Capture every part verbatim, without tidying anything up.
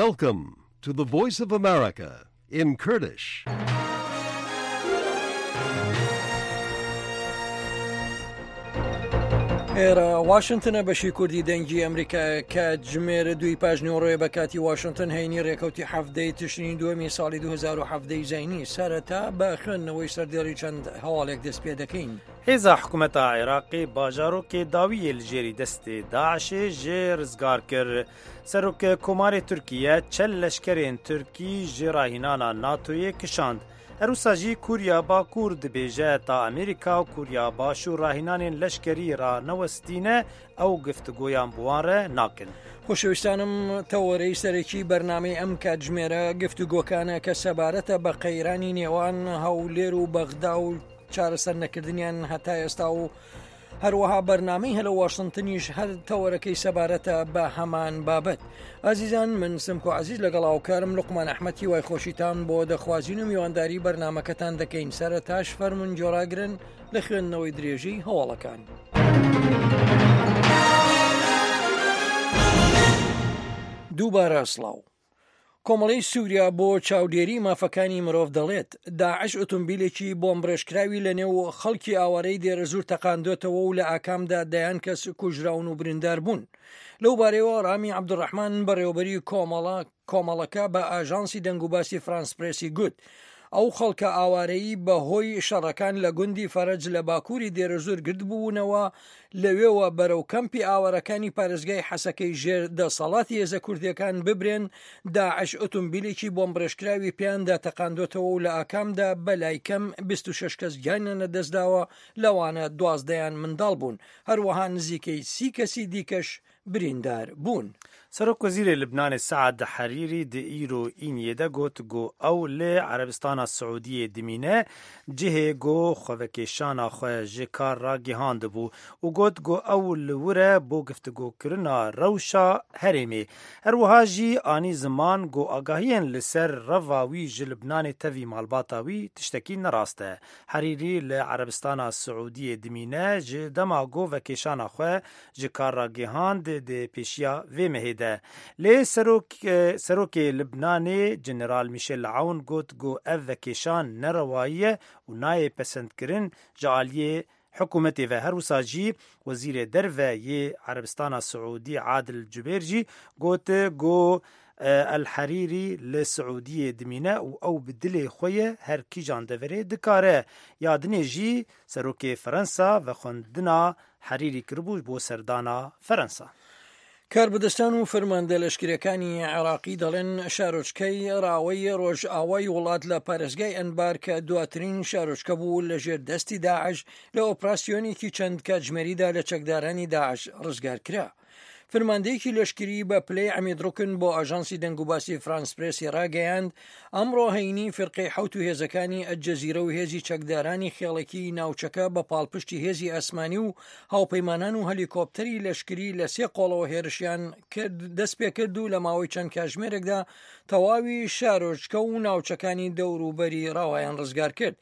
Welcome to the Voice of America in Kurdish. ئێرە واشنتنە بەشی کوردی دەنگی ئەمریکا کاتژمێر دووی پاش نیوەڕۆیە بە کاتی واشنتن هەینی ڕێکەوتی حەفتەی تشرینی دووەمی ساڵی دوو هەزار و حەڤدە زایینی. سەرەتا بە خوێندنەوەی سەردێڕی چەند هەواڵێک دەست پێ دەکەین. Hêza hikûmeta Iraqê bajarokê dawiyê li jêrî destê DAIŞê jê rizgar kir. Serok Komarê Tirkiye çel leşkerên Tirkî ji rahînana NATOyê kişand. Her wisa jî Koriya Bakur dibêje ta Amerîka û Koriya Başûr rahînanên leşkerî ranewestîne ew guftugoyan bi wan re nakin. خۆشەویستانم، تەوەرەی سەرەکی بەرنامەی ئەم کاتژمێرە گفتوگۆکانە کە سەبارەتە بە قەیرانی نێوان هەولێر و بەغدا و چارەسەر نەکردنیان هەتا ئێستا و هەروەها بەرنامەی هەلۆ واشنتنیش هەر تەوەرەکەی سەبارەتە بە هەمان بابەت. ئازیزان، من سمکۆ عزیز لەگەڵ هاوکارم لوقمان ئەحمەد هیوای خۆشیتان بۆ دەخوازین و میوانداری بەرنامەکەتان دەکەین. سەرەتاش فەرموون گوێڕاگرن لە خوێندنەوەی درێژەی هەواڵەکان. دووبارە سڵاو. کۆمەڵەی سووریا بۆ چاودێری مافەکانی مرۆڤ دەڵێت داعش ئۆتۆمبیلێکی بۆمبڕێژکراوی لە نێو خەڵکی ئاوارەی دێرەزوور تەقاندۆتەوە و لە ئاکامدا دەیان کەس کوژراون و بریندار بوون. لەو بارەیەوە ڕامی عەبدولڕەحمان، بەڕێوەبەری کۆمەڵە کۆمەڵەکە، بە ئاژانسی دەنگوباسی فرانس پرێسی گوت ئەو خەڵکە ئاوارەیی بە هۆی شەڕەکان لە گوندی فەرەج لە باکووری دێرەزوور گردبوونەوە، لەوێوە بەرەو کەمپی ئاوارەکانی پارێزگای حەسەکەی ژێر دەسەڵاتی هێزە کوردیەکان ببرێن، داعش ئۆتۆمبیلێکی بۆمبڕێژکراوی پێیاندا تەقاندۆتەوە و لە ئاکامدا بەلای کەم بیست و شەش کەس گیانیان لەدەستداوە، لەوانە دوازدەیان منداڵ بوون، هەروەها نزیکەی سی کەسی دیکەش بریندار بوون. Serok Wezîrê Libnanê Saad Herîrî di îro îniyê de got ku ew li Erebistana Siûdiyê dimîne, cihê ku xwevekêşana xwe ji kar ragihandibû û got ku ew li wir e bo guftugokirina rewşa herêmê. Her wiha jî anî ziman ku agahiyên li ser reva wî ji Libnanê tevî malbata wî tiştekî nerast e. Herîrî li Erebistana Siûdiyê dimîne ji dema ku vekêşana xwe ji kar ragihand di pêşiya vê mehê de. Lê serok serokê Libnanê General Michel Aoun got ku ev vekêşan nerewayî ye û nayê pesendkirin ji aliyê hikûmetê ve. Her wisa jî Wezîrê Derve yê Erebistana Siûdî Adil Cubêr jî got ku El Herîrî li Siûdiyê dimîne û ew bi dilê xwe ye her kîjan deverê dikare. Ya dinê jî serokê Ferensa vexwendina Herîrî kiribû bo serdana Ferensa. کاربەدەستان و فەرماندە لەشکرەکانی عێراقی دەڵێن شارۆچکەی ڕاوەی ڕۆژئاوای وڵات لە پارێزگای ئەنبار کە دواترین شارۆچکە بوو لە ژێر دەستی داعش، لە ئۆپراسیۆنێکی چەند کاتژمێریدا لە چەکدارانی داعش ڕزگار کرا. فەرماندەیەکی لەشکری بە پلەی عەمید ڕوکن بۆ ئاژانسی دەنگوباسی فرانس پرێسی ڕاگەیاند ئەمڕۆ هەینی فرقەی حەوت و هێزەکانی ئەلجەزیرە و هێزی چەکدارانی خێڵەکی ناوچەکە بە پاڵپشتی هێزی ئاسمانی و هاوپەیمانان و هەلیکۆپتەری لەشکری لە سێ قۆڵەوە هێرشیان کرد دەست پێکرد و لە ماوەی چەند کاتژمێرێکدا تەواوی شارۆچکە و ناوچەکانی دەوروبەری ڕاوایان ڕزگار کرد.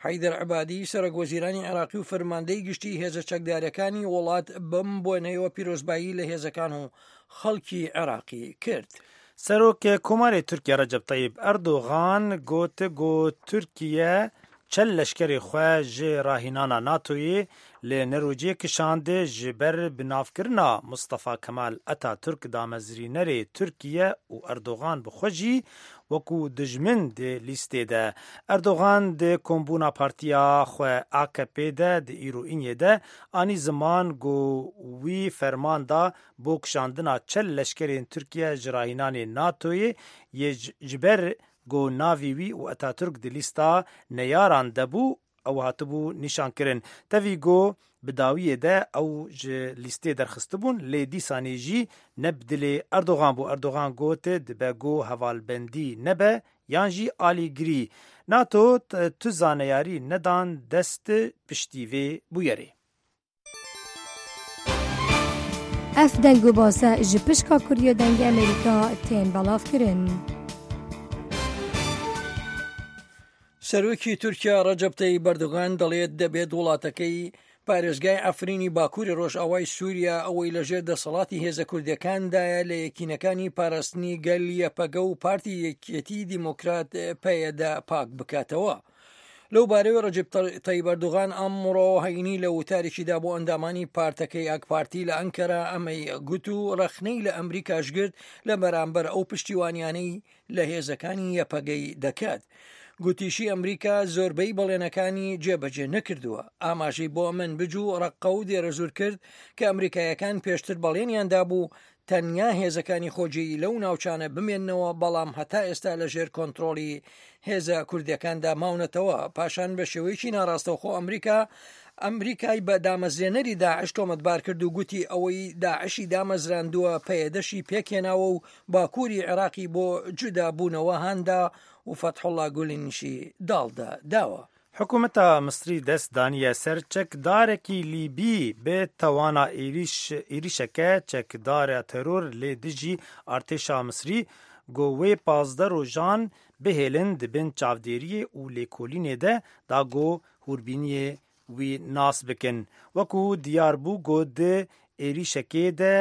حەیدەر عەبادی، سەرۆک وەزیرانی عێراقی و فەرماندەی گشتی هێزە چەکدارەکانی وڵات، بەم بۆنەیەوە پیرۆزبایی لە هێزەکان و خەڵکی عێراقی کرد. Serok Komarê Tirkiye Recep Tayyip Erdogan got ku Tirkiye çel leşkerê xwe ji rahînana NATOyê li Nerwêjê kişand ji ber binavkirina Mustafa Kemal Atatürk damezrînerê Tirkiye û Erdogan bi xwe jî wekû dijmin di lîstê de. Erdogan di kombûna partiya xwe A K P de di îro îniyê de anî ziman ku wî ferman da bo kişandina çel leşkerên Tirkiye ji rahînanê NATOyê yê ji ber ku navê wî û Atatürk di lîsta neyaran de bû ew hatibû nîşankirin. Tevî ku bi dawiyê de ew ji lîstê derxistibûn, lê dîsanê jî ne bi dilê Erdogan bû. Erdogan got dibe ku hevalbendî nebe yan jî alîgirî. NATO tu zaneyarî nedan dest piştî vê bûyerê. Ev deng û base ji pişka Kurdiya Dengê Amerîka tên belavkirin. سەرۆکی تورکیا ڕەجەب تەیب ئەردۆغان دەڵێت دەبێت وڵاتەکەی پارێزگای عەفرینی باکووری ڕۆژئاوای سووریا ئەوەی لەژێر دەسەڵاتی هێزە کوردیەکاندایە لە یەکینەکانی پاراستنی گەل یەپەگە و پارتی یەکێتی دیموکرات پەیەدە پاک بکاتەوە. لەو بارەوە ڕەجەب تەیب ئەردۆغان ئەمڕۆ هەینی لە وتارێکیدا بۆ ئەندامانی پارتەکەی ئاک پارتی لە ئەنکەرە ئەمەی گوت و ڕەخنەی لە ئەمریکاش گرت لە بەرامبەر ئەو پشتیوانیانەی لە هێزەکانی یەپەگەی دەکات. گوتیشی ئەمریکا زۆربەی بەڵێنەکانی جێبەجێ نەکردووە. ئاماژەی بۆ منبج و ڕەققە و دێرەزوور کرد کە ئەمریکایەکان پێشتر بەڵێنیان دابوو تەنیا هێزەکانی خۆجێی لەو ناوچانە بمێننەوە، بەڵام هەتا ئێستا لەژێر کۆنترۆڵی هێزە کوردیەکاندا ماونەتەوە. پاشان بە شێوەیەکی ناڕاستەوخۆ ئەمریکا ئەمریکای بە دامەزرێنەری داعش تۆمەتبار کرد و گوتی ئەوەی داعشی دامەزراندووە پەیەدەشی پێکهێناوە و باکووری عێراقی بۆ جودا بوونەوە هاندا و فەتحوڵا گولینیشی داڵدا داوە. حکوومەتە میسری دەست دانیە سەر چەکدارێکی لیبی بێ تەوانا ئێریشەکە چەکدارە تەرۆر لێ دژی ئارتێشا میسری گۆ وێ پازدە ڕۆژان بهێلن دبن چاودێریە و لێکۆلینێ دە دا گۆ هوربینیە وی ناس بکن. وەکو دیار بوو گۆ di êrişekê de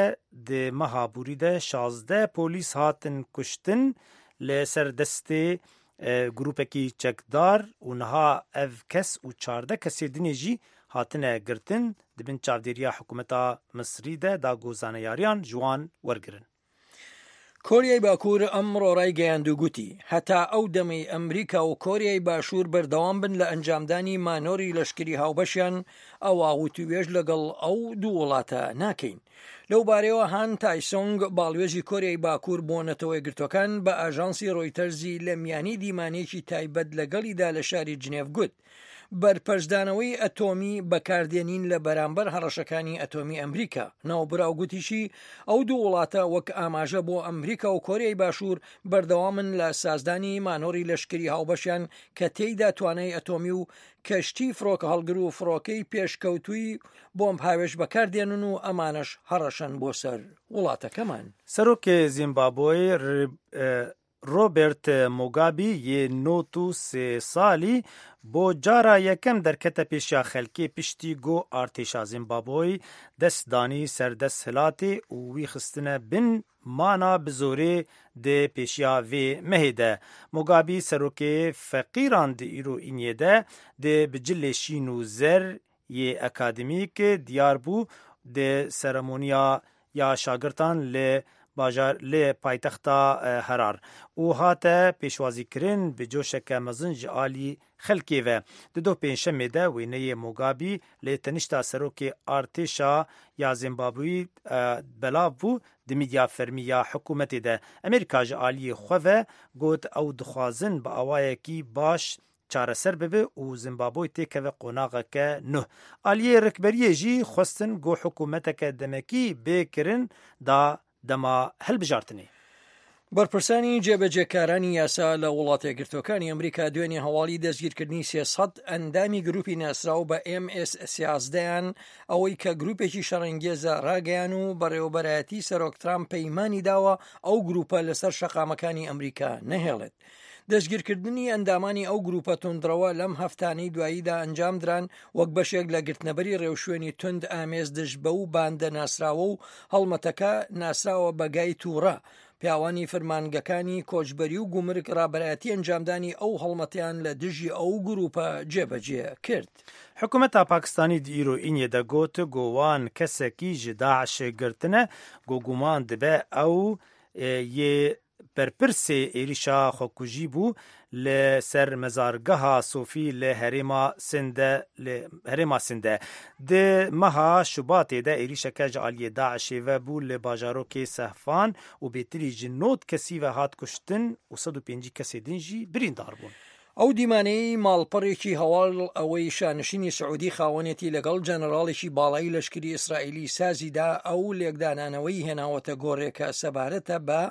di meha borî de şazdeh polîs hatin kuştin li ser destê grûpekî çekdar û niha ev kes û çardeh kesê dinê jî hatine girtin di bin çavdêriya hikûmeta Misrî de da ku zaneyariyan ji wan wergirin. کۆریای باکوور ئەمڕۆ ڕایگەیاند و گوتی هەتا ئەو دەمەی ئەمریکا و کۆریای باشوور بەردەوام بن لە ئەنجامدانی مانۆری لەشکری هاوبەشیان ئەوا وتوێژ لەگەڵ ئەو دوو وڵاتە ناکەین. لەو بارەیەوە هان تایسۆنگ باڵوێزی کۆریای باکوور بۆ نەتەوە یەکگرتووەکان بە ئاژانسی ڕۆیتەرزی لە میانی دیمانەیەکی تایبەت لەگەڵیدا لە شاری جنێف گوت بەرپەرچدانەوەی ئەتۆمی بەکاردێنین لە بەرامبەر هەڕەشەکانی ئەتۆمی ئەمریکا. ناوبراو گوتیشی ئەو دوو وڵاتە وەک ئاماژە بۆ ئەمریکا و کۆریای باشوور بەردەوامن لە سازدانی مانۆری لەشکری هاوبەشیان کە تێیدا توانای ئەتۆمی و کەشتی فڕۆکە هەڵگر و فڕۆکەی پێشکەوتووی بۆمب هاوێژ بەکاردێنن و ئەمانەش هەڕەشەن بۆ سەر وڵاتەکەمان. سەرۆکی زیمبابوی ڕۆبەرت موگابی یê نۆت و سێ ساڵی بۆ جارا یەکەم دەرکەتە پێشیا خەلکێ پشتی گۆ ئارتێشا زیمبابوی دەست دانی سەر دەستهەلاتێ و وی خستنە بن مانا bi zorê di pêşiya vê mehê de. Mugabe serokê feqîran di îro îniyê de di bi cilê şîn û zer yê akademîk diyar bû di seremoniya ya şagirtan li bajar li paytexta Herar û hate pêşwazîkirin bi coşeke mezin ji alî xelkê ve. Di doh pêncşemê de wêneyê Mugabe li tenişta serokê artêşa ya Zimbabweyî belav bû di medya fermî ya hikûmetê de. Amerîka ji aliyê xwe ve got ew dixwazin bi awayekî baş çareser bibe û Zimbabwe têkeve qonaxeke nû. Aliyê rikberiyê jî xwestin got hikûmeteke demekî bê kirin da دەما هەلبژارتنێ. بەرپرسانی جێبەجێکارانی یاسا لە وڵاتە یەکگرتووەکانی ئەمریکا دوێنێ هەواڵی دەستگیرکردنی سێ سەد ئەندامی گروپی ناسراو بە ئێم ئێس سیازدەیان ئەوەی کە گروپێکی شەڕەنگێزە ڕاگەیان و بەڕێوەبەرایەتی سەرۆک ترامپ پەیمانی داوە ئەو گروپە لەسەر شەقامەکانی ئەمریکا نەهێڵێت. دەستگیرکردنی ئەندامانی ئەو گروپە توندڕەوە لەم هەفتانەی دواییدا ئەنجام دران وەک بەشێک لە گرتنەبەری ڕێوشوێنی توند ئامێز دژ بەو باندە ناسراوە و هەڵمەتەکە ناسراوە بە گای تووڕە. پیاوانی فەرمانگەکانی کۆچبەری و گومرگ ڕابەرایەتی ئەنجامدانی ئەو هەڵمەتیان لە دژی ئەو گروپە جێبەجێ کرد. حکوومەتا پاکستانی di îro îniyê de got got wan kesekî ji Daişê girtine got guman dibe ew yê berpirsê êrişa xwekujî bû li ser mezargeha Sofî li herêma Sinde li herêma Sinde. Di meha Şubatê de êrişeke ji aliyê Daişê ve bû li bajarokê Sehfan û bêtirî ji nod kesî ve hat kuştin û sed û pêncî kesê din jî birîndar bûn. ئەو دیمانەی ماڵپەڕێکی هەواڵ ئەوەی شانشینی سعودی خاوەنێتی لەگەڵ جەنەراڵێکی باڵای لەشکری ئیسرائیلی سازیدا ئەو لێکدانانەوەی هێناوەتە گۆڕێکە سەبارەتە بە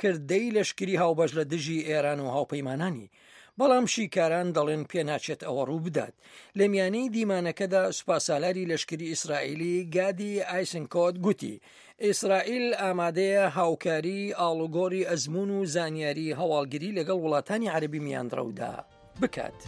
کردەی لەشکری هاوبەش لە دژی ئێران و هاوپەیمانانی. بەڵام شیکاران دەڵێن پێناچێت ئەوە ڕوو بدات. لە میانەی دیمانەکەدا سوپاسالاری لەشکری ئیسرائیلی گادی ئایسنکۆت گوتی ئیسرائیل ئامادەیە هاوکاری ئاڵوگۆڕی ئەزمون و زانیاری هەواڵگری لەگەڵ وڵاتانی عەرەبی میانڕەودا بکات.